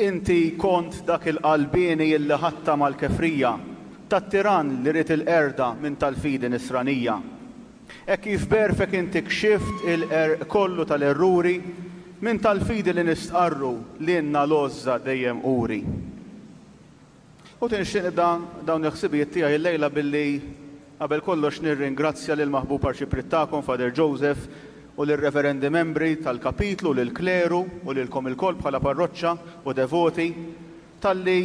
Inti kont dak il-qalbieni illi ħadtha mal-kefrija tat-tirann li ried il-qerda minn tal-fidi nisranija. Hekk kif b'għerfek inti kxift il-qerq kollu tal-erruri minn tal-fidi li nistqarru lilna l-għożża dejjem uri. U nixtieq nibda dawn il-ħsibijiet tiegħi illejla billi qabel kollox nirringrazzja lill-maħbub Arċipriet tagħkom, Father Joseph, u lir-Reverendi Membri tal-Kapitlu, lill-Kleru u lilkom ilkoll bħala parroċċa u devoti talli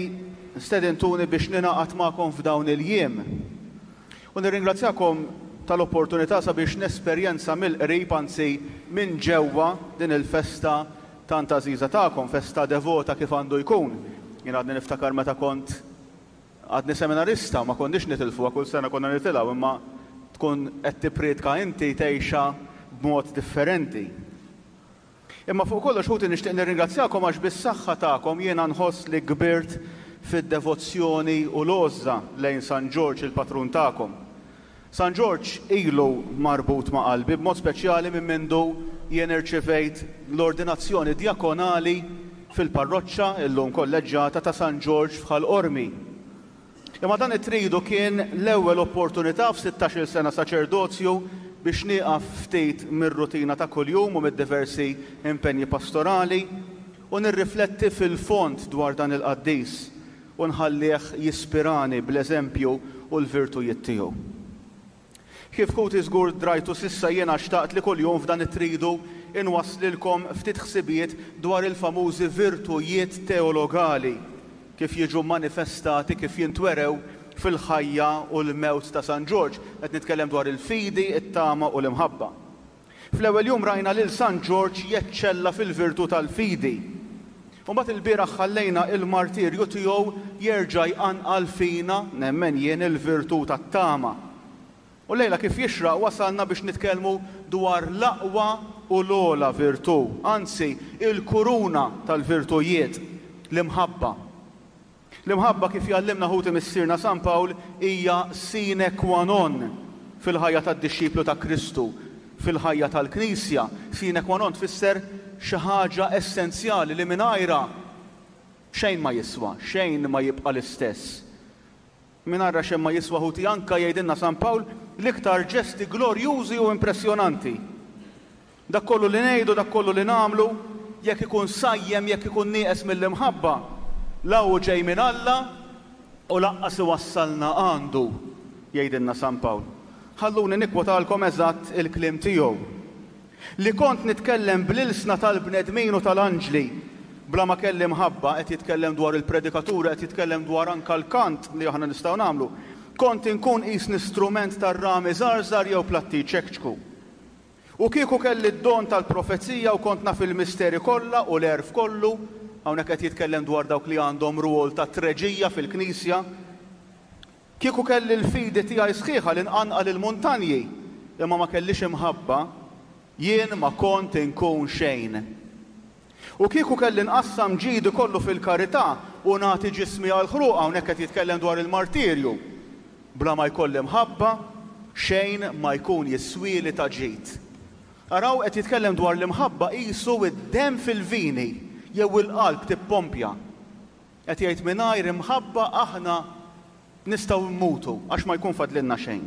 stedintuni biex ningħaqad magħkom f'dawn il-jiem. U nirringrazzjakom tal-opportunità sabiex nesperjenza mill-qrib, anzi minn ġewwa, din il-festa tant għażiża tagħkom, festa devota kif għandu jkun. Jien għadni niftakar meta kont għadni seminarista, ma konniex nitilfuha, kull sena konna nitilgħu, imma tkun qed tippriedka inti tgħixha b'mod differenti. Imma fuq kollox ħuti nixtieq nirringrazzjakom għax bis-saħħa tagħkom jiena nħoss li kbirt fid-devozzjoni u l-għożża lejn San Ġorġ il-patrun tagħkom. San Ġorġ ilu marbut ma' qalbi b'mod speċjali minn mindu jien irċivejt l-ordinazzjoni djakonali fil-parroċċa, illum kolleġġjata, ta' San Ġorġ f'Ħal Qormi. Imma dan it-tridu kien l-ewwel opportunità f'sittax-il sena saċerdozju biex nieqaf ftit mir-rutina ta' kuljum u mid-diversi impenji pastorali u nirrifletti fil-fond dwar dan il-qaddis u nħallih jispirani bl-eżempju u l-virtujiet tiegħu. Kif ħuti żgur drajtu s'issa jiena xtaqt li kuljum f'dan it-tridu inwasslilkom ftit ħsibijiet dwar il-famużi virtujiet teologali kif jiġu manifestati, kif jintwerew fil-ħajja u l-mewt ta' San Ġorġ. Qed nitkellem dwar il-fidi, it-tama u l-imħabba. Fl-ewwel jum rajna lil San Ġorġ jeċċella fil-virtù tal-fidi. U mbagħad ilbieraħ ħallejna il-martirju tiegħu jerġa' jqanqal fina, nemmen jien, il-virtù tat-tama. U llejla kif jixraq wasalna biex nitkellmu dwar l-aqwa u l-ogħla virtù, anzi il-kuruna tal-virtujiet, l-imħabba. L-imħabba kif jgħallimna ħuti Missierna San Pawl hija sine qua non fil-ħajja tad-dixxiplu ta' Kristu, fil-ħajja tal-Knisja. Sine qua non tfisser xi ħaġa essenzjali li mingħajrha xejn ma jiswa, xejn ma jibqa' l-istess. Mingħajrha xejn ma jiswa ħuti anke jgħidilna San Pawl l-iktar ġesti glorjużi u impressjonanti. Dak kollu li ngħidu, dak kollu li nagħmlu, jekk ikun sajjem, jekk ikun nieqes mill-imħabba, la hu ġej minn Alla u lanqas iwassalna għandu, jgħidilna San Pawl. Ħalluni nikkwotalkom eżatt il-kliem tiegħu. Li kont nitkellem bl-ilsna tal-bnedmin u tal-anġli, bla ma kelli mħabba, qed jitkellem dwar il-predikaturi, qed jitkellem dwar anke l-kant li aħna nistgħu nagħmlu, kont inkun qisni strument tar-rami żgħar jew platti jċekċku. U kieku kelli d-don tal-profezija u kont naf il-misteri kollha u l-għerf kollu, hawnhekk qed jitkellem dwar dawk li għandhom rwol ta' treġija fil-Knisja, kieku kelli l-fidi tiegħi sħiħa li nqanqal il-muntanji, imma ma kellix imħabba, jien ma kont inkun xejn. U kieku kelli nqassam ġidi kollu fil-karità u nagħti ġismi għall-ħruq, hawnhekk qed jitkellem dwar il-martirju, bla ma jkolli mħabba, xejn ma jkun jiswieli ta' ġid. Araw, qed jitkellem dwar l-imħabba qisu d-demm fil-vini jew il-qalb tippompja. Qed jgħid mingħajr imħabba aħna nistgħu mmutu għax ma jkun fadlilna xejn.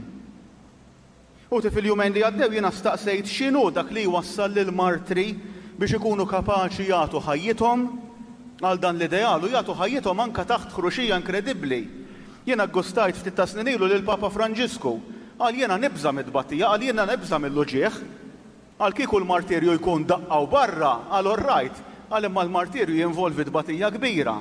Ħuti fil-jumejn li għaddew jiena staqsejt x'inhu dak li jwassal lill-martri biex ikunu kapaċi jagħtu ħajjithom għal dan l-ideal u jagħtu ħajjithom anke taħt ħruxija inkredibbli. Jiena ggustajt ftit ta' snin ilu lil Papa Franġisku. Qal jiena nibża' mit-tbatija, qal jiena nibża' mill-uġigħ. Qal kieku l-martirju jkun daqqa u barra, qal all right, qal imma l-martirju jinvolvi tbatija kbira.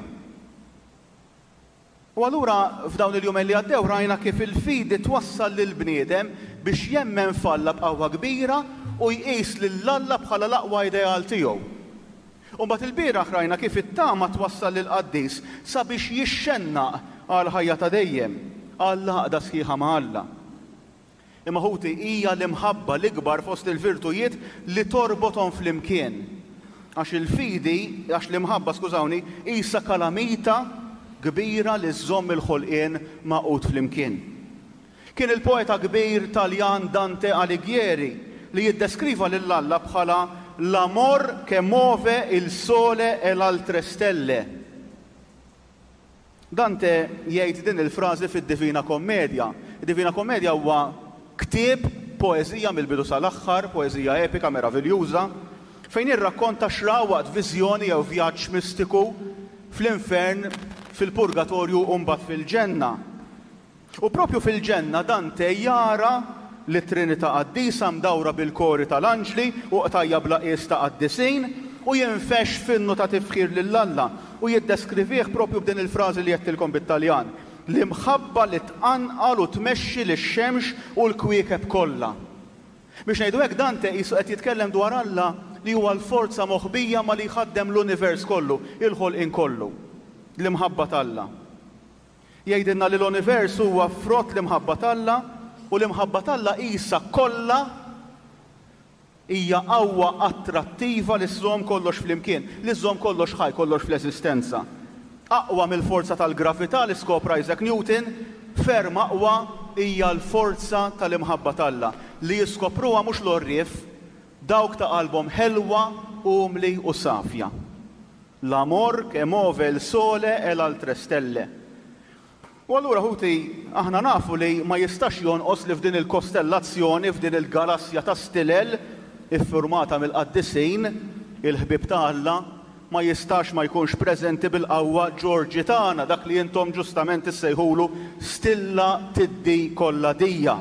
U allura f'dawn il-jumejn li għaddew rajna kif il-fidi twassal lill-bniedem biex jemmen f'Alla b'qawwa kbira u jqis lil Alla bħala l-aqwa ideal tiegħu. U mbagħad ilbieraħ rajna kif it-tama twassal lill-qaddis sabiex jixxennaq għall-ħajja ta' dejjem, għall-għaqda sħiħa ma' Alla. Imma ħuti, hija l-imħabba l-ikbar fost il-virtujiet li torbothom flimkien. Għax il-fidi, għax l-imħabba, skużawni, qisha kalamita kbira li żżomm il-ħolqien magħqud flimkien. Kien il-poeta kbir Taljan Dante Alighieri li jiddeskriva lil Alla bħala l-amor che move il sole e l'altre stelle. Dante jgħid din il-frażi fid-Divina Commedia. Id-Divina Commedia huwa ktieb poeżija mill-bidu sal-aħħar, poeżija epika meraviljuża, fejn jirrakkonta x'ra waqt viżjoni jew vjaġġ mistiku fl-infern, fil-purgatorju u mbagħad fil-ġenna. U propju fil-ġenna Dante jara lit-Trinità Qaddisa mdawra bil-kori tal-anġli u qtajja' bla qies ta' qaddisin u jinfexx f'innu ta' tifħir lil Alla u jiddeskrivih propju b'din il-frażi li għedtilkom bit-Taljan, L-imħabba li tqanqal u tmexxi lix-xemx u l-kwiekeb kollha. Biex ngħidu hekk Dante qisu qed jitkellem dwar Alla li huwa l-forza moħbija ma li jħaddem l-univers kollu, il-ħolqien kollu. L-imħabba t'Alla. Jgħidilna li l-univers huwa frott l-imħabba t'Alla u l-imħabba t'Alla qisha kollha hija qawwa attrattiva li żżomm kollox flimkien, li żżomm kollox ħaj, kollox fl-eżistenza. Aqwa mill-forza tal-gravità li skopra Isaac Newton, ferm aqwa hija l-forza tal-imħabba t'Alla, li jiskopruha mhux l-għorrief, dawk ta' qalbhom ħelwa, umli u safja. L'amor che move il sole e l'altre stelle. U allura, ħuti, aħna nafu li ma jistax jonqos li f'din il-kostellazzjoni, f'din il-galassja ta' stilel iffurmata mill-qaddisin, il-ħbieb ta' Alla, ma jistax ma jkunx preżenti bil-qawwa Ġorġi tagħna, dak li intom ġustament issejħulu stilla tiddi kollha dija.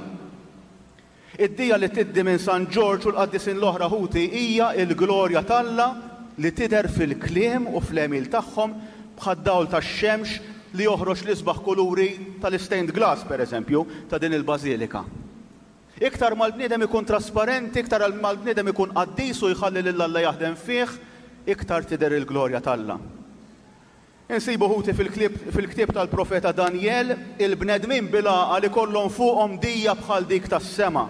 Id-dija li tiddi minn San Ġorġ u l-qaddisin l-oħra ħuti hija l-glorja t'Alla li tidher fil-kliem u fl-għemil tagħhom bħad-dawl tax-xemx li joħroġ l-isbaħ kuluri tal-istained glass, per eżempju, ta' din il-bażilika. Iktar ma l-bniedem ikun trasparenti, iktar ma l-bniedem ikun qaddis u jħalli lil Alla jaħdem fih, iktar tidher il-glorja t'Alla. Insibu ħuti fil-ktieb tal-profeta Danjel, il-bnedmin bil-għaqal ikollhom fuqhom dija bħal dik tas-sema,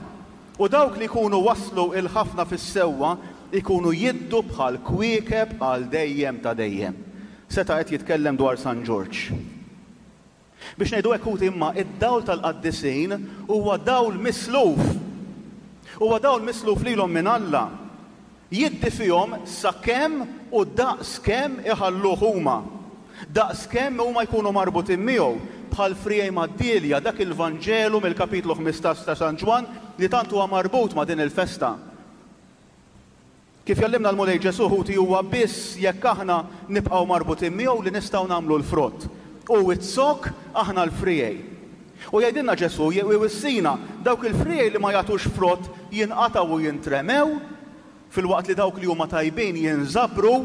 u dawk li jkunu wasslu 'l ħafna fis-sewwa jkunu jiddu bħal kwiekeb għal dejjem ta' dejjem. Seta' qed jitkellem dwar San Ġorġ. Biex ngħidu hekk ħuti imma id-dawl tal-qaddisin huwa dawl misluf. Huwa dawl misluf lilhom minn Alla. Jiddi fihom sakemm u daqs kemm iħalluh huma. Daqs kemm huma jkunu marbutin miegħu, bħal friegħi mad-dielja, dak il-Vanġelu mill-kapitlu 15 ta' San Ġwann li tant huwa marbut ma' din il-festa. Kif jgħallimna l-Mulej Ġesù, ħuti, huwa biss jekk aħna nibqgħu marbutin miegħu li nistgħu nagħmlu l-frott. Hu z-zokk, aħna l-friegħi. U jgħidilna Ġesù, iwissina, dawk il-friegħi li ma jagħtux frott jinqatgħu u jintremew, filwaqt li dawk li huma tajbin jinżabru,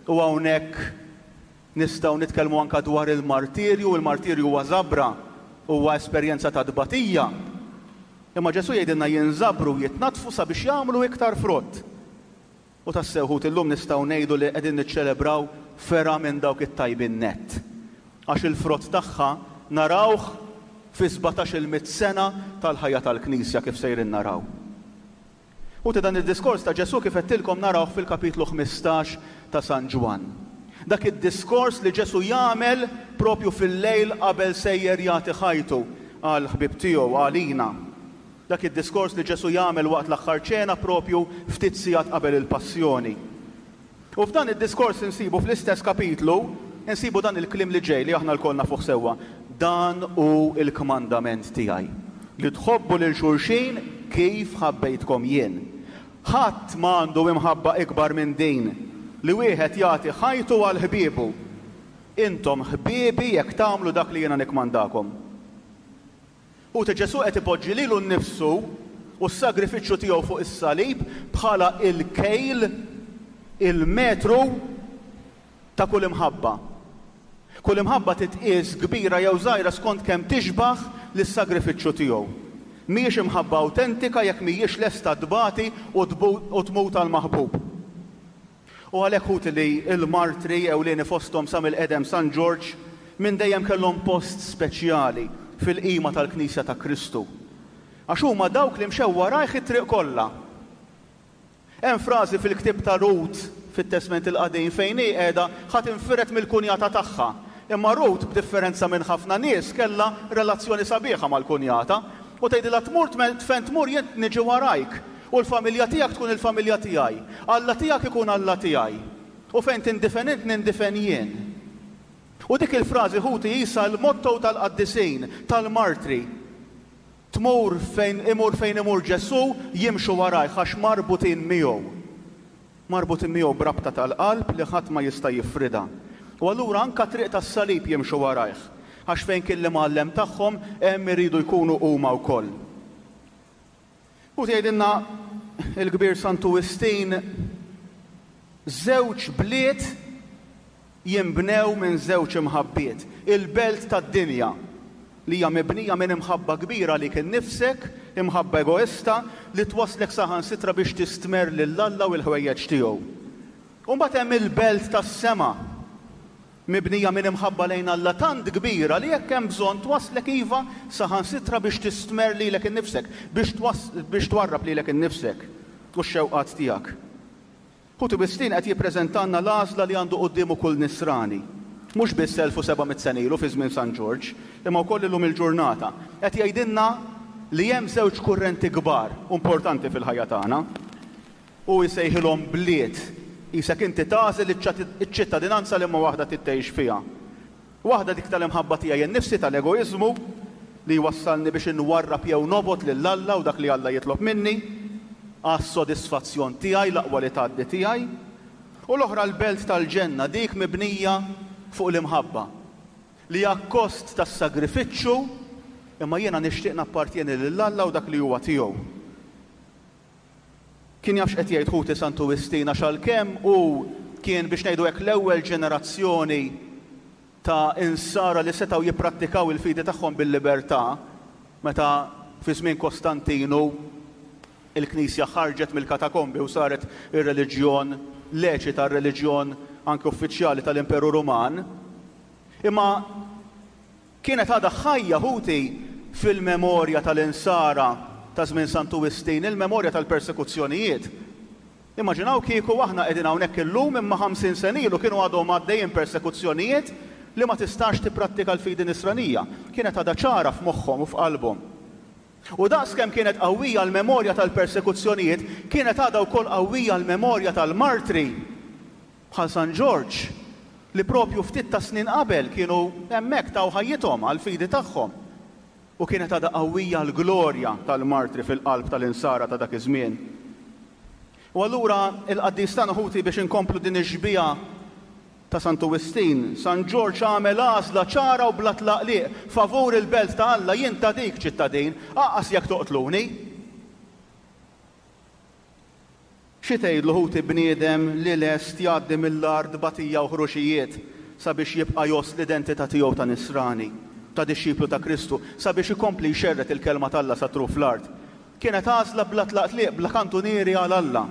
u hawnhekk nistgħu nitkellmu anke dwar il-martirju, il-martirju huwa żabra, huwa esperjenza ta' tbatija. Imma Ġesù jgħidilna jinżabru u jitnaddfu sabiex jagħmlu iktar frott. U tassew ħuti llum nistgħu ngħidu li qegħdin niċċelebraw fergħa minn dawk it-tajbin nett. Għax il-frott tagħha narawh fi sbatax-il mitt sena tal-ħajja tal-Knisja kif sejrin naraw. Ħuti dan id-diskors ta' Ġesù kif għedtilkom narawh fil-kapitlu 15 ta' San Ġwann. Dak id-diskors li Ġesù jagħmel propju fil-lejl qabel sejjer jagħti ħajtu għall-ħbieb tiegħu, għalina. Dak id-diskors li Ġesù jagħmel waqt l-aħħar ċena propju ftit sigħat qabel il-passjoni. U f'dan id-diskors insibu fl-istess kapitlu, insibu dan il-kliem li ġej li aħna lkoll nafuh sewwa, Dan hu l-kmandament tiegħi, li tħobbu lil xulxin kif ħabbejtkom jien. Ħadd ma għandu imħabba ikbar minn din, li wieħed jagħti ħajtu għal ħbiebu. Intom ħbiebi jekk tagħmlu dak li jiena nikkmandakom. Ħuti, Ġesù qed ipoġġi lilu nnifsu u s-sagrifiċċju tiegħu fuq is-salib bħala l-kejl, il-metru ta' kull imħabba. Kull imħabba titqies kbira jew żgħira skont kemm tixbah lis-sagrifiċċju tiegħu. Mhijiex imħabba awtentika jekk mhijiex lesta tbati u tmut għall-maħbub. U għalhekk ħuti li l-martri ewlieni fosthom sa mill-qedem San Ġorġ minn dejjem kellhom post speċjali fil-qima tal-Knisja ta' Kristu. Għax huma dawk li mxew warajh it-triq kollha. Hemm frażi fil-ktieb ta' Rut fit-Testment il-Qadim fejn hi qiegħda ħa tinfired mill-kunjata tagħha. Imma Rut, b'differenza minn ħafna nies, kellha relazzjoni sabiħa mal-kunjata u tgħidilha tmur fejn tmur jien niġi warajk. U l-familja tiegħek tkun il-familja tiegħi. Alla tiegħek ikun Alla tiegħi. U fejn tindifen int nindifen jien. U dik il-frażi ħuti qisha l-motto tal-qaddisin, tal-martri. Tmur fejn imur fejn imur Ġesù, jimxu warajh għax marbutin miegħu. Marbutin miegħu b'rabta tal-qalb li ħadd ma jista' jifridha. U allura anke t-triq tas-salib jimxu warajh, għax fejn kien l-imgħallem tagħhom hemm iridu jkunu huma wkoll. U tgħidilna l-kbir Santu Wistin, żewġ bliet jinbnew minn żewġ imħabbiet, il-belt tad-dinja, li hija mibnija minn imħabba kbira għalik innifsek, imħabba egoista, li twasslek saħansitra biex tistmerr lil Alla u l-ħwejjeġ tiegħu. U mbagħad hemm il-belt tas-sema, mibnija minn imħabba lejn Alla tant kbira li jekk hemm bżonn twasslek iva saħansitra biex tistmerr lilek innifsek, biex biex twarrab lilek innifsek u x-xewqat tiegħek. Ħuti Wistin qed jippreżentalna l-għażla li għandu quddiemu kull Nisrani, mhux biss 1700 sena ilu fi żmien San Ġorġ, imma wkoll illum il-ġurnata. Qed jgħidilna li hemm żewġ kurrenti kbar u importanti fil-ħajja tagħna. Hu jsejħilhom bliet, qisek inti tagħżel iċ-ċittadinanza liema waħda trid tgħix fiha. Waħda dik tal-imħabba tiegħi nnifsi, tal-egoiżmu, li jwassalni biex inwarrab jew nobgħod lil Alla u dak li Alla jitlob minni, għas-sodisfazzjon tiegħi, l-aqwa li tgħaddi tiegħi. U l-oħra l-belt tal-ġenna, dik mibnija fuq l-imħabba, li akkost tas-sagrifiċċu, imma jiena nixtieq nappartjeni lil Alla u dak li huwa tiegħu. Kien jaf x'qed jgħid ħuti Santu Wistin għax għalkemm hu kien biex ngħidu hekk l-ewwel ġenerazzjoni ta' insara li setgħu jipprattikaw il-fidi tagħhom bil-libertà meta fi żmien Kostantinu il-Knisja ħarġet mill-katakombi u saret ir-reliġjon leċita, r-reliġjon anke uffiċjali tal-Imperu Ruman. Imma Kienet għadha ħajja, ħuti, fil-memorja tal-Insara ta' żmien Santu Wistin, il-memorja tal-persekuzzjonijiet. Immaġinaw kieku aħna qegħdin hawnhekk illum imma 50 sena ilu kienu għadhom għaddejjin persekuzzjonijiet li ma tistax tipprattika l-fidi Nisranija. Kienet għadha ċara f'moħħhom u f'qalbhom. U daqs kemm kienet qawwija l-memorja tal-persekuzzjonijiet, kienet għadha wkoll qawwija l-memorja tal-martri. Bħal San Ġorġ, li propju ftit tas-snin qabel kienu hemmhekk taw ħajjithom għall-fidi tagħhom. U kienet għadha qawwija l-glorja tal-martri fil-qalb tal-insara ta' dak iż-żmien. U allura il-qaddis tagħna ħuti biex inkomplu din ix-xbieha ta' Santu Wistin, San Ġorġ għamel għażla ċara u bla tlaqliq favur il-belt ta' Alla, jien ta' dik ċittadin, anqas jekk toqtluni. Xi tgħidlu ħuti bniedem li lest jgħaddi mill-agħar tbatija u ħruxijiet sabiex jibqa' jgħożż l-identità tiegħu ta' Nisrani, ta' dixxiplu ta' Kristu, sabiex ikompli jxerred il-Kelma t'Alla sa truf l-art? Kienet għażla bla tlaqtliq, bla kantunieri għal Alla.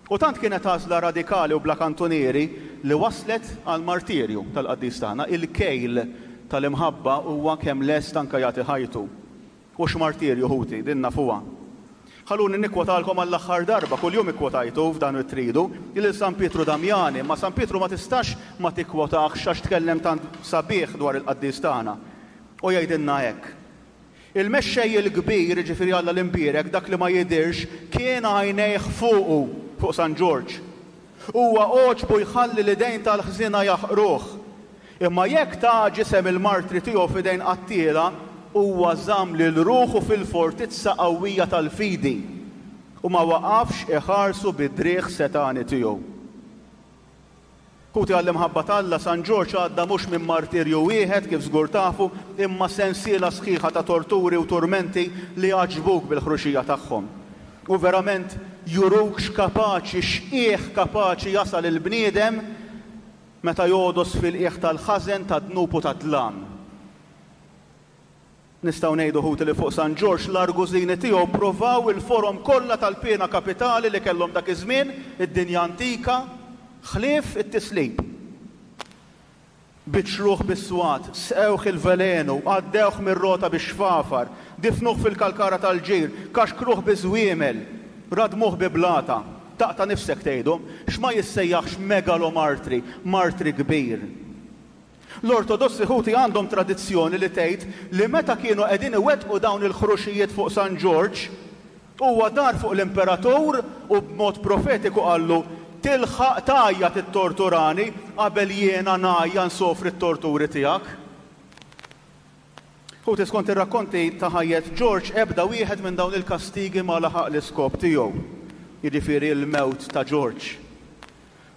U tant kienet għażla radikali u bla kantunieri li wasslet għall-martirju tal-qaddis tagħna. Il-kejl tal-imħabba huwa kemm lest anke jagħti ħajtu. U x'martirju, ħuti, din nafuha. Ħalluni nikkwotalkom għall-aħħar darba, kuljum ikkwotajtu f'dan it-tridu, lil San Pietru Damjani, imma San Pietru ma tistax ma tikkwotahx għax tkellem tant sabiħ dwar il-qaddis tagħna. U jgħidilna hekk, Il-Mexxej il-Kbir, jiġifieri Alla l-Imbierek, dak li ma jidhirx, kien għajnejh fuqu, fuq San Ġorġ. Huwa għoġbu jħalli l-idejn tal-ħżiena jaħqruh. Imma jekk ta ġisem il-martri tiegħu f'idejn qattiela, huwa żamm lil ruħu fil-fortizza qawwija tal-fidi, u ma waqafx iħarsu bid-driegħ setgħani tiegħu. Ħuti għall-imħabba t'Alla, San Ġorġ għadda mhux minn martirju wieħed, kif żgur tafu, imma sensiela sħiħa ta' torturi u turmenti li jgħaġġbuk bil-ħruxija tagħhom. U verament juruk x'kapaċi, x'qiegħ kapaċi jasal il-bniedem meta jogħdos fil-qiegħ tal-ħażen, tad-dnub u tad-dlam. Nistgħu ngħidu, ħuti, li fuq San Ġorġ l-argużini tiegħu ppruvaw il-forom kollha tal-piena kapitali li kellhom dak iż-żmien, id-dinja antika, ħlief it-tislib. Biċċruh bis-swat, sqewh il-velenu, għaddewh mir-rota bix-xfafar, difnuh fil-kalkara tal-ġir, kaxkruh biż-żwiemel, radmuh bi blata. Taqta' nifsek tgħidhom, x'ma jissejjaħx megalomartri, martri kbir. L-Ortodossi ħuti għandhom tradizzjoni li tgħid li meta kienu qegħdin iwettqu dawn il-ħruxijiet fuq San Ġorġ, huwa dar fuq l-imperatur u b'mod profetiku qallu. Tilħaq tgħajja tittorturani qabel jiena ngħajja nsofri t-torturi tiegħek. Ħuti, skont ir-rakkonti ta' ħajjet Ġorġ, ebda wieħed minn dawn il-kastigi ma laħaq l-iskop tiegħu, jiġifieri l-mewt ta' Ġorġ.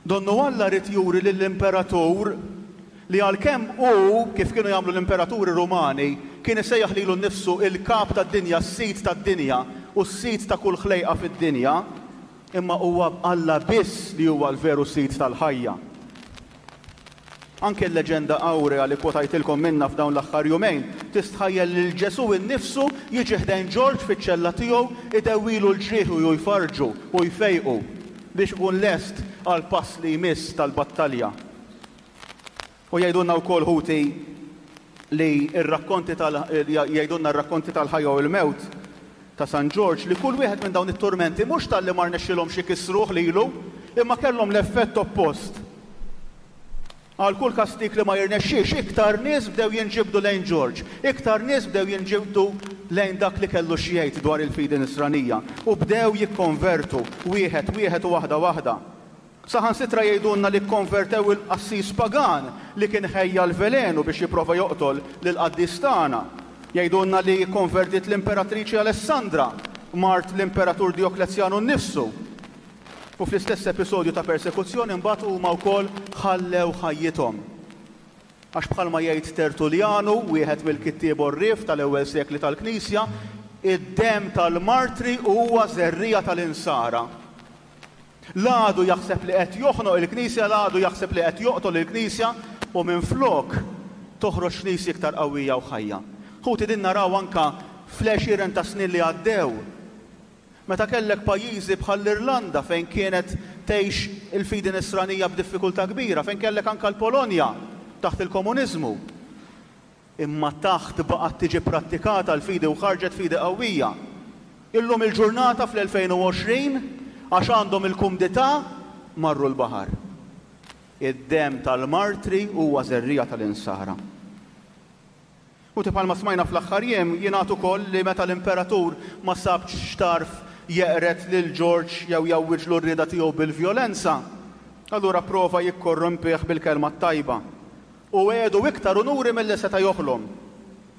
Donnu Alla ried juri lill-imperatur li għalkemm hu, kif kienu jagħmlu l-imperaturi Rumani, kien isejjaħ lilu nnifsu il-kap tad-dinja, s-sid tad-dinja u s-sid ta' kull ħlejqa fid-dinja, imma huwa Alla biss li huwa l-veru sid tal-ħajja. Anke l-leġenda awrea li kkwotajtilkom minnha f'dawn l-aħħar jumejn tistħajjel lil Ġesù innifsu jiġi ħdejn Ġorġ fiċ-ċella tiegħu, idewwilu l-ġrieħi u jfarrġu u jfejqu biex ikun lest għall-pass li jmiss tal-battalja. U jgħidulna wkoll ħuti li r-rakkonti tal jgħidulna r-rakkonti tal-ħajja u l-mewt ta' San Ġorġ li kull wieħed minn dawn it-turmenti mhux talli ma rnexxilhomx ikissruh lilu imma kellhom l-effett oppost. Għal kull kastig li ma jirnexxix, iktar nies bdew jinġibdu lejn Ġorġ, iktar nies bdew jinġibdu lejn dak li kellu xi jgħid dwar il-fidi Nisranija, u bdew jikkonvertu, wieħed wieħed u waħda waħda. Saħansitra jgħidulna li kkonvertew il-qassis pagan li kien ħejja l-velenu biex jipprova joqtol lill-qaddis tagħna. Jgħidulna li kkonvertiet l-Imperatriċi Alessandra, mart l-Imperatur Djoklezjanu nnifsu. U fl-istess episodju ta' persekuzzjoni mbagħad huma wkoll ħallew ħajjithom. Għax bħalma jgħid Tertulljanu, wieħed mill-kittieb għorrief tal-ewwel sekli tal-Knisja, id-demm tal-martri huwa żerriegħa tal-insara. L-għadu jaħseb li qed joħnoq il-Knisja, l-għadu jaħseb li qed joqtol il-Knisja u minflok toħroġ Knisja iktar qawwija u ħajja. Ħuti din naraw anke fl-għexieren ta' snin li għaddew. Meta kellek pajjiżi bħall-Irlanda fejn kienet tgħix il-fidi nisranija b'diffikultà kbira, fejn kellek anke l-Polonja taħt il-komuniżmu. Imma taħt baqgħet tiġi prattikata l-fidi u ħarġet fidi qawwija. Illum il-ġurnata fl-2020, għax għandhom il-kumdità, marru l-baħar. Id-demm tal-martri huwa żerriegħa tal-insara. U bħalma smajna fl-aħħar jiem, jingħad ukoll li meta l-imperatur ma sabx x'tarf jeqred lil Ġorġ jew jgħawwiġlu r-rieda tiegħu bil-vjolenza, allura pprova jikkorrompih bil-kelma t-tajba. U wegħdu iktar unuri milli seta' joħlom.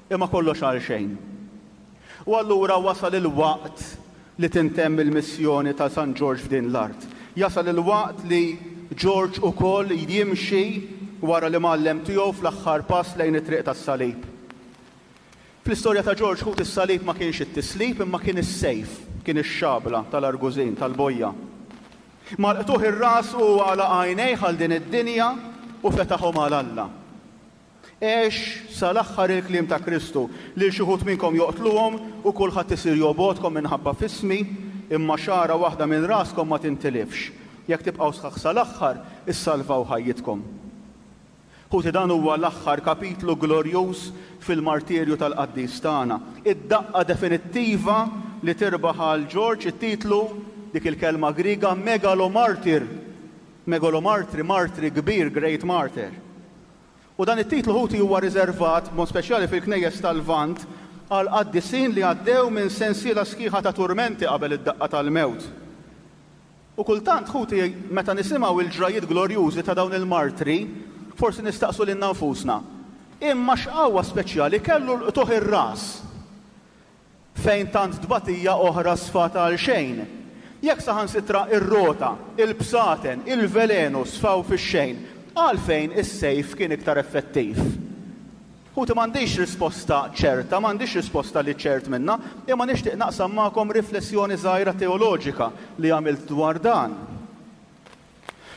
Imma kollox għalxejn. U allura wasal il-waqt li tintemm il-missjoni ta' San Ġorġ f'din l-art. Jasal il-waqt li Ġorġ ukoll jimxi wara l-imgħallem tiegħu fl-aħħar pass lejn it-triq tas-salib. Fl-istorja ta' Ġorġ ħut is-salib ma kienx it-tislib imma kien is-sejf, kien ix-xabla tal-argużin, tal-bojja. Mal-qtugħ ir-ras hu għalaq għajnejh għal din id-dinja u fetaħhom għal Alla. Għex sa l-aħħar il-kliem ta' Kristu, Lil xi wħud minnkom joqtluhom u kulħadd isir jobgħodkom minħabba f'ismi, imma xagħra waħda minn raskom ma tintilifx. Jekk tibqgħu sħaħ sa l-aħħar, issalvaw ħajjitkom. Ħuti, dan huwa l-aħħar kapitlu glorjuż fil-martirju tal-qaddis tagħna. Id-daqqa definittiva li tirbaħ għal Ġorġ it-titlu, dik il-kelma Griega, megalomartyr, megalomartri, martri kbir, great martyr. U dan it-titlu ħuti huwa riservat, b'mod speċjali fil-knejjes tal-Lvant, għal qaddisin li għaddew minn sensiela sħiħa ta' turmenti qabel id-daqqa tal-mewt. U kultant, ħuti, meta nisimgħu l-ġrajjiet glorjużi ta' dawn il-martri, forsi nistaqsu lilna nfusna, Imma x'qawwa speċjali kellu l-qtugħ ir-ras? fejn tant tbatija oħra sfat għal xejn, jekk saħansitra r-rota, il-bsaten, il-velenu sfaw fix-xejn, għalfejn is-sejf kien iktar effettiv? Ħuti m'għandix risposta ċerta, m'għandix risposta li ċert minnha, imma nixtieq naqsam magħkom riflessjoni żgħira teoloġika li għamilt dwar dan.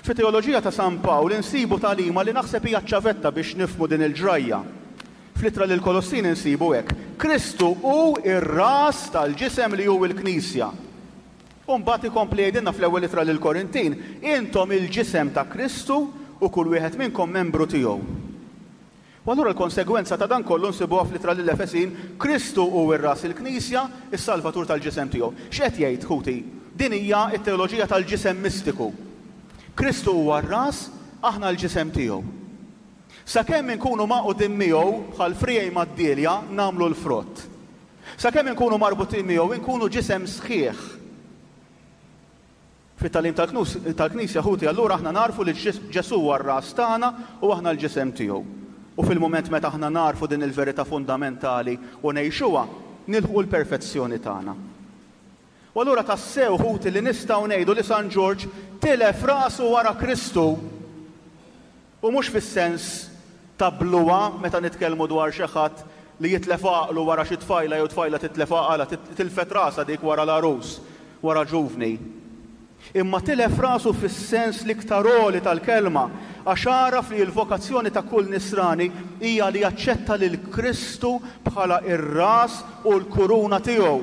Fit-teoloġija ta' San Pawl insibu tagħlima li naħseb hija ċ-ċavetta biex nifhmu din il-ġrajja. Fl-Ittra lill-Kolossin insibu hekk, Kristu hu r-ras tal-ġisem li hu l-Knisja. U mbagħad ikompli jgħidilna fl-Ewwel Ittra lill-Korintin, Intom il-ġisem ta' Kristu u kull wieħed minnkom membru tiegħu. U allura l-konsegwenza ta' dan kollu nsibuha fl-Ittra lill-Efesin, Kristu hu r-Ras il-Knisja, is-Salvatur tal-ġisem tiegħu. X'qed jgħid, ħuti? Din hija t-teoloġija tal-ġisem mistiku. Kristu huwa r-Ras, aħna l-ġisem tiegħu. Sakemm inkunu magħqudin miegħu, bħal friegħi mad-dielja, nagħmlu l-frott. Sakemm inkunu marbutin miegħu, inkunu ġisem sħiħ. Fit-tagħlim tal-Knisja, ħuti, allura aħna nagħrfu li Ġesù huwa r-ras tagħna u aħna l-ġisem tiegħu. U fil-mument meta aħna nagħrfu din il-verità fundamentali u ngħixuha, nilħqu l-perfezzjoni tagħna. U allura tassew, ħuti, li nistgħu ngħidu li San Ġorġ tilef rasu wara Kristu. U mhux fis-sens ta' bluha meta nitkellmu dwar xi ħadd li jitlef għaqlu wara xi tfajla jew tfajla titlef għaqalha, tilfet rasha dik wara l-għarus, wara ġuvni. Imma tilef rasu fis-sens l-iktar għoli tal-kelma, għax għaraf li l-vokazzjoni ta' kull Nisrani hija li jaċċetta lil Kristu bħala r-ras u l-kuruna tiegħu.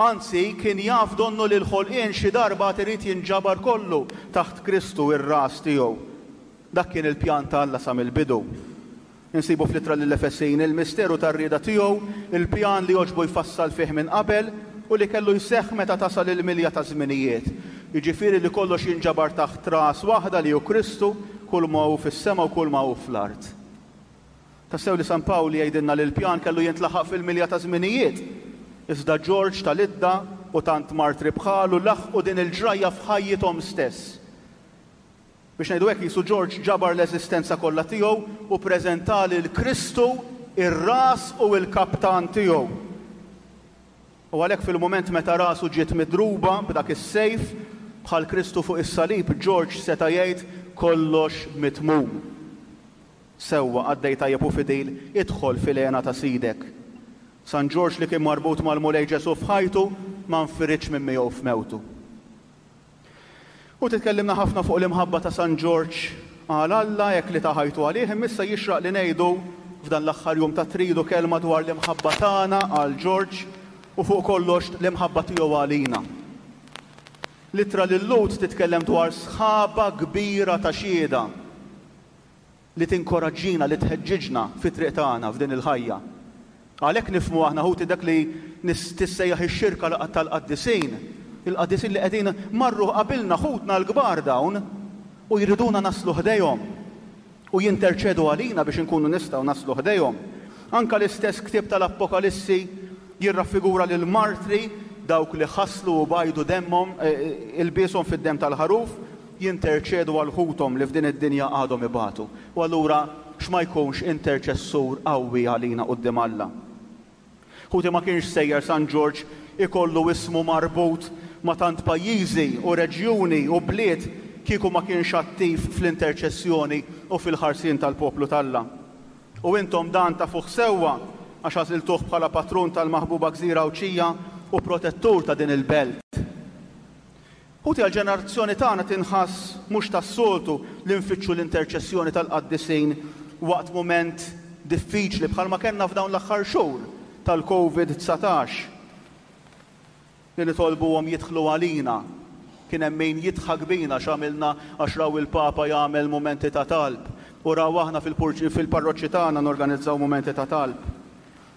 Anzi, kien jaf donnu li l-ħolqien xi darba għad irid jinġabar kollu taħt Kristu, ir-ras tiegħu. Dak kien il-pjan ta' Alla sa mill-bidu. Insibu fl-Ittra lill-Efesin il-misteru tar-rieda tiegħu, il-pjan li għoġbu jfassal fih minn qabel u li kellu jseħħ meta tasal il-milja taż-żminijiet, jiġifieri li kollox jinġabar taħt ras waħda li hu Kristu, kulma hu fis-sema u kulma hu fl-art. Tassew li San Pawl jgħidilna li l-pjan kellu jintlaħaq fil-milja taż-żminijiet. Iżda Ġorġ ta' Lidda u tant martri bħalu laħqu din il-ġrajja f'ħajjithom stess. Biex ngħidu hekk qisu Ġorġ ġabar l-eżistenza kollha tiegħu u ppreżenta lil Kristu r-ras u l-kaptan tiegħu. U għalhekk fil-mument meta rasu ġiet midruba b'dak is-sejf, bħal Kristu fuq is-salib, Ġorġ seta' jgħid, Kollox mitmum. Sewwa, qaddej tajjeb u fidil, idħol fil-hena ta' Sidek. San Ġorġ li kien marbut mal-Mulej Ġesù f'ħajtu, ma nfiridx minn miegħu f'mewtu. U titkellimna ħafna fuq l-imħabba ta' San Ġorġ għal Alla hekk li ta ħajtu għalih, imma issa jixraq li ngħidu f'dan l-aħħar jum tat-Tridu kelma dwar l-imħabba tagħna għal Ġorġ u fuq kollox l-imħabba tiegħu għalina. L-ittra lil-Lhud titkellem dwar sħaba kbira ta' xhieda. li tinkoraġġina, li tħeġġiġna fit-triq tagħna f'din il-ħajja. Għalhekk nifhmu aħna ħuti dak li tissejjaħ ix-xirka tal-qaddisin, il-qaddisin li qegħdin marru qabilna, ħutna l-kbar dawn, u jriduna naslu ħdejhom u jinterċedu għalina biex inkunu nistgħu naslu ħdejhom. Anke l-istess ktieb tal-Apokalissi jirraffigura lill-martri, dawk li ħaslu u bajdu demmhom, ilbieshom fid-demm tal-Ħaruf, jinterċedu għal ħuthom li f'din id-dinja għadhom ibatu. U allura x'ma jkunx interċessur qawwi għalina quddiem Alla? Ħuti ma kienx sejjer San Ġorġ ikollu ismu marbut ma' tant pajjiżi u reġjuni u bliet kieku ma kienx attiv fl-interċessjoni u fil-ħarsien tal-poplu t'Alla. U intom dan tafuh sewwa għax għażiltuh bħala patrun tal-maħbuba gżira Għawdxija u protettur ta' din il-belt. Ħuti għall-ġenerazzjoni tagħna tinħass mhux tas-soltu li nfittxu l-interċessjoni tal-qaddisin waqt mument diffiċli bħalma kellna f'dawn l-aħħar xhur tal-Covid 19. Li nitolbuhom jidħlu għalina. Kien hemm min jidħak bina x'għamilna għax raw il-Papa jagħmel mumenti ta' talb u raw aħna fil-parroċċi tagħna norganizzaw mumenti ta' talb.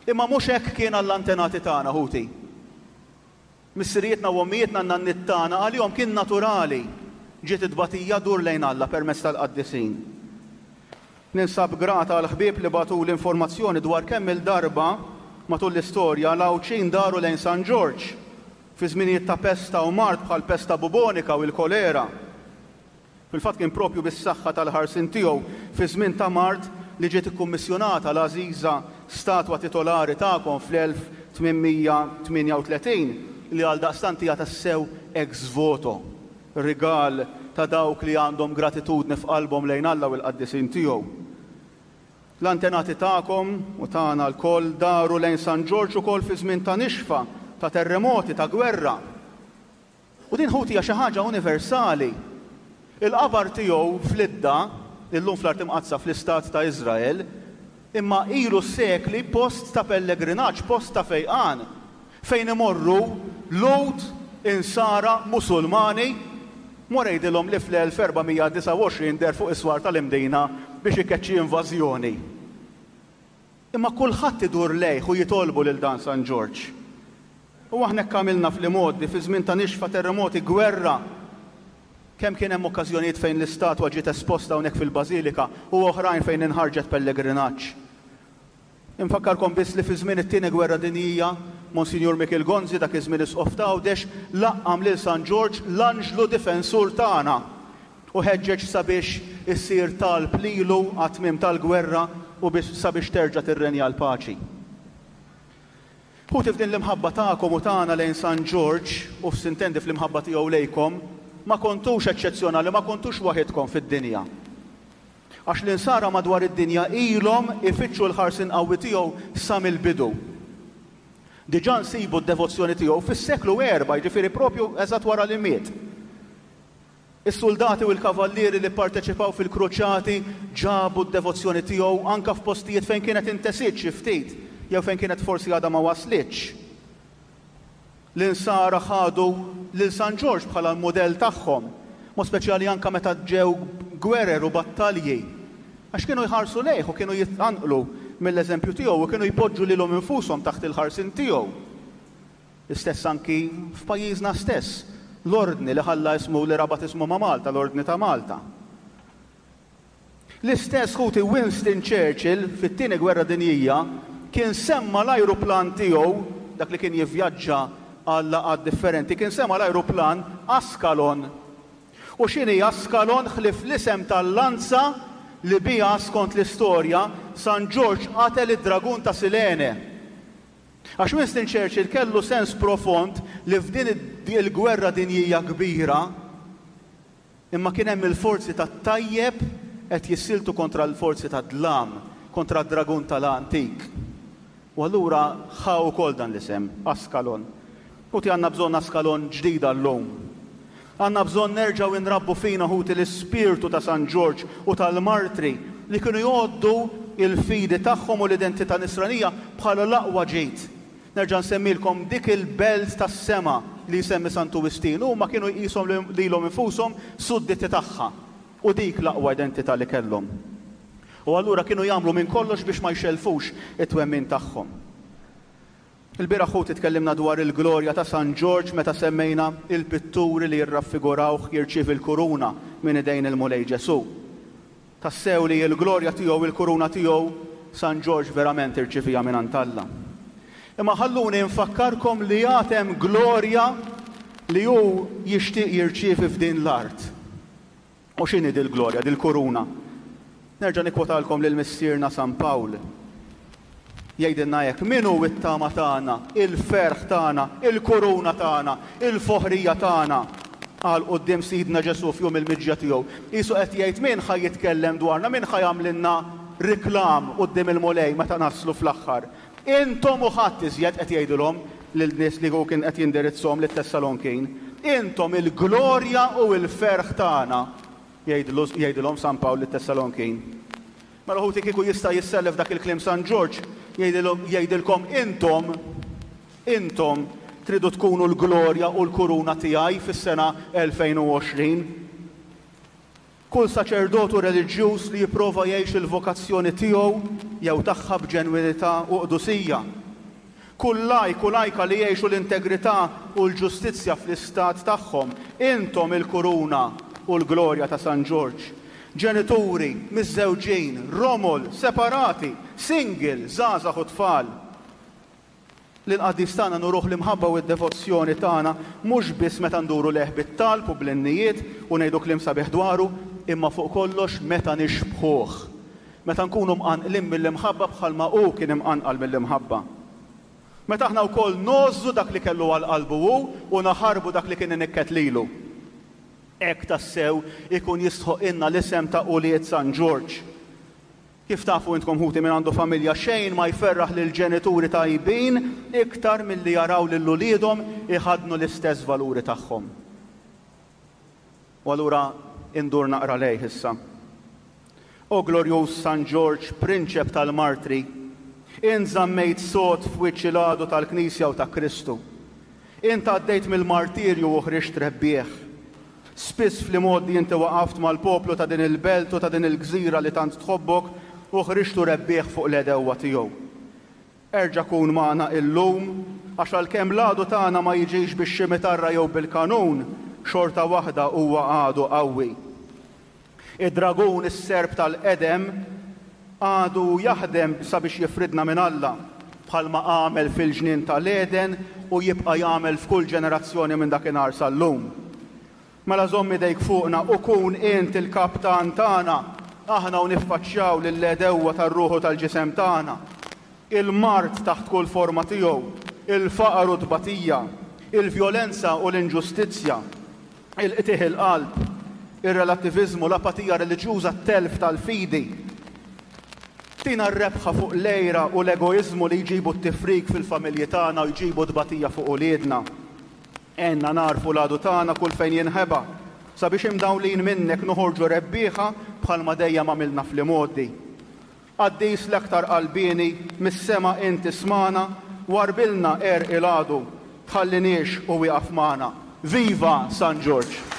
Imma mhux hekk kien għall-antenati tagħna ħuti. Missirijietna u ommijietna n-nanniet tagħna għalihom kien naturali ġiet it-tbatija dur lejn Alla permezz tal-qaddisin. Ninsab grata għall-ħbieb li bagħtuli informazzjoni dwar kemm-il darba matul l-istorja l-Għawdxin daru lejn San Ġorġ fi żminijiet ta' pesta u mard bħall-pesta bubonika u l-kolera. Fil-fatt kien proprju bis-saħħa tal-ħarsien tiegħu fi żmien ta' mard li ġiet ikkummissjonata l-għażiża statwa titolari tagħkom fl-1838 li għaldaqstant hija tassew ex voto, rigal ta' dawk li għandhom gratitudni f'qalbhom lejn Alla u l-qaddisin tiegħu. L-antenati tagħkom u tagħna lkoll daru lejn San Ġorġ ukoll fi żmien ta' nixfa, ta' terremoti, ta' gwerra. U din ħuti hija xi ħaġa universali. Il-qabar tiegħu f'Lidda, illum fl-Art Imqaddsa fl-Istat ta' Iżrael, imma ilu sekli post ta' pellegrinaġġ, post ta' fejqan, fejn imorru Lhud, Insara, Musulmani. Mur għidilhom li fl-1429 deher fuq is-swar tal-Imdina biex ikeċċi invażjoni. Imma kulħadd idur lejh u jitolbu lil dan San Ġorġ. U aħna hekk għamilna fl-imgħoddi, fi żmien ta' nixfa, terremoti, gwerra. Kemm kien hemm okkażjonijiet fejn l-istatwa ġiet esposta hawnhekk fil-bażilika u oħrajn fejn inħarġet pellegrinaġġ. Infakkarkom biss li fi żmien it-Tieni Gwerra Dinjija, Monsinjur Mikiel Gonzi, dak iż-żmien Isqof t'Għawdex, laqqam lil San Ġorġ l-anġlu difensur tagħna u ħeġġeġ sabiex isir talb lilu għat-tmiem tal-gwerra u biex sabiex terġa' tirrenja l-paċi. Ħuti f'din l-imħabba tagħkom u tagħna lejn San Ġorġ, u f'sintendi fl-imħabba tiegħu lejkom, ma kontux eċċezzjonali, ma kontux waħidkom fid-dinja. Għax l-Insara madwar id-dinja ilhom ifittxu l-ħarsien qawwi tiegħu sa mill-bidu. Diġà nsibu d-devozzjoni tiegħu fis-seklu erba', jiġifieri propju eżatt wara li miet. Is-suldati u l-kavallieri li pparteċipaw fil-kruċjati ġabu d-devozzjoni tiegħu anke f'postijiet fejn kienet intesiet xi ftit jew fejn kienet forsi għadha ma waslitx. L-Insara ħadu lil San Ġorġ bħala l-mudell tagħhom, mod speċjali anke meta ġew gwerer u battalji, għax kienu jħarsu lejh u kienu jitqanqlu mill-eżempju tiegħu u kienu jpoġġu lilhom infushom taħt il-ħarsien tiegħu. L-istess anki f'pajjiżna stess, l-Ordni li ħalla ismu li rabat ismu ma' Malta, l-Ordni ta' Malta. L-istess ħuti Winston Churchill fit-Tieni Gwerra Dinjija kien semma l-ajruplan tiegħu, dak li kien jivvjaġġa għal laqgħat differenti, kien sema l-ajruplan Ascalon. U x'inhi Ascalon ħlief l-isem tal-lanza li biha, skont l-istorja, San Ġorġ qatel id-dragun ta' Silene. Għax Winston Churchill kellu sens profond li f'din il-gwerra dinjija kbira, Imma kien hemm il-forzi tat-tajjeb qed jissieltu kontra l-forzi tad-dlam, kontra d-dragun tal-antik. U allura ħa wkoll dan l-isem, Askalon. Ħuti għandna bżonn Askalon ġdida llum. Għandna bżonn nerġgħu nrabbu fina ħuti l-ispirtu ta' San Ġorġ u tal-martri li kienu jgħoddu l-fidi tagħhom u l-identità nisranija bħala l-aqwa ġid. Nerġa' nsemmilkom dik il-belt tas-sema li jsemmi Santu Wistin. Huma kienu jqishom lilhom infushom sudditi tagħha. U dik l-aqwa identità li kellhom. U allura kienu jagħmlu minn kollox biex ma jxellfux it-twemmin tagħhom. Il-bieraħ ħuti tkellimna dwar il-glorja ta' San Ġorġ meta semmejna il-pitturi li jirraffigurawh jirċievi l-kuruna minn idejn il-Mulej Ġesù. Tassew li l-glorja tiegħu, il-kuruna tiegħu, San Ġorġ verament irċiviha mingħand Alla. Imma ħalluni nfakkarkom li għad hemm glorja li hu jixtieq jirċievi f'din l-art. U x'inhi dil-glorja, dil-kuruna? Nerġa' nikkwotalkom lil Missierna San Pawl. Jgħidilna hekk, Min hu t-tama tagħna, il-ferħ tagħna, il-kuruna tagħna, il-foħrija tagħna? Qal quddiem Sidna Ġesù f'jum il-miġja tiegħu. Qisu qed jgħid min ħa jitkellem dwarna, min ħa jagħmlilna riklam quddiem il-Mulej meta naslu fl-aħħar. Intom u ħadd iżjed qed jgħidilhom lil nies li hu kien qed jindirizzhom lit-Tessalonkin. Intom il-glorja u l-ferħ tagħna, jgħidilhom San Pawl lit-Tessalonkin. Mela ħuti kieku jista' jissellef dak il-kliem San Ġorġ jgħidilkom intom, intom tridu tkunu l-glorja u l-kuruna tiegħi fis-sena 2020. Kull saċerdot u reliġjuż li jipprova jgħix il-vokazzjoni tiegħu jew tagħha b'ġenwinità u qdusija. Kull lajk u lajka li jgħixu l-integrità u l-ġustizzja fl-istat tagħhom. Intom il-kuruna u l-glorja ta' San Ġorġ. Ġenituri, miżżewġin, romol, separati, single, żgħażagħ u tfal. Lill-qaddis tagħna nuruh l-imħabba u d-devozzjoni tagħna mhux biss meta nduru lejh bit-talb u bl-innijiet u ngħidu kliem sabiħ dwaru, imma fuq kollox meta nixbħuh. Meta nkunu mqanqlin mill-imħabba bħalma hu kien imqanqal mill-imħabba. Meta aħna wkoll ngħożżu dak li kellu għal qalbu hu u naħarbu dak li kien inikket lilu. Hekk tassew ikun jistħoqqilna l-isem ta' ulied San Ġorġ. Kif tafu intkom ħuti min għandu familja xejn ma jferraħ lill-ġenituri tajbin iktar milli jaraw lil uliedhom iħaddnu l-istess valuri tagħhom. U allura indur naqra lejh issa. O glorjuż San Ġorġ, prinċep tal-martri, int żammejt sod f'wiċċ il-għadu tal-Knisja u ta' Kristu. Int għaddejt mill-martirju u ħriġt rebbieħ. Spiss fl-imgħoddi inti waqaft mal-poplu ta' din il-belt u ta' din il-gżira li tant tħobbok u ħriġtu rebbieħ fuq l-għedewwa tiegħu. Erġa' kun magħna illum, għax għalkemm l-għadu tagħna ma jiġix bix-ximitarra jew bil-kanun, xorta waħda huwa għadu qawwi. Id-dragun, is-serp tal-qedem, għadu jaħdem sabiex jifridna minn Alla. bħalma għamel fil-ġnien tal-Għeden u jibqa' jagħmel f'kull ġenerazzjoni minn dakinhar sal-lum. Mela żomm idejk fuqna u kun int il-kaptan tagħna, aħna u niffaċċjaw lill-għedewwa tar-ruħ u tal-ġisem tagħna, il-mard taħt kull forma tiegħu, il-faqar u t-tbatija, il-vjolenza u l-inġustizzja, il-qtigħ il-qalb, ir-relattiviżmu, l-apatija reliġjuża, t-telf tal-fidi. Tina r-rebħa fuq l-għira u l-egoiżmu li jġibu t-tifrik fil-familji tagħna u jġibu tbatija fuq uliedna. Għinna nagħrfu l-għadu tagħna kull fejn jinħeba, sabiex imdawlin minnek noħorġu rebbieħa bħalma dejjem għamilna fl-imgħoddi. Qaddis l-aktar qalbieni, mis-sema int ismagħna, warrbilna għerq il-għadu, tħalliniex u wieqaf magħna. Viva San Ġorġ!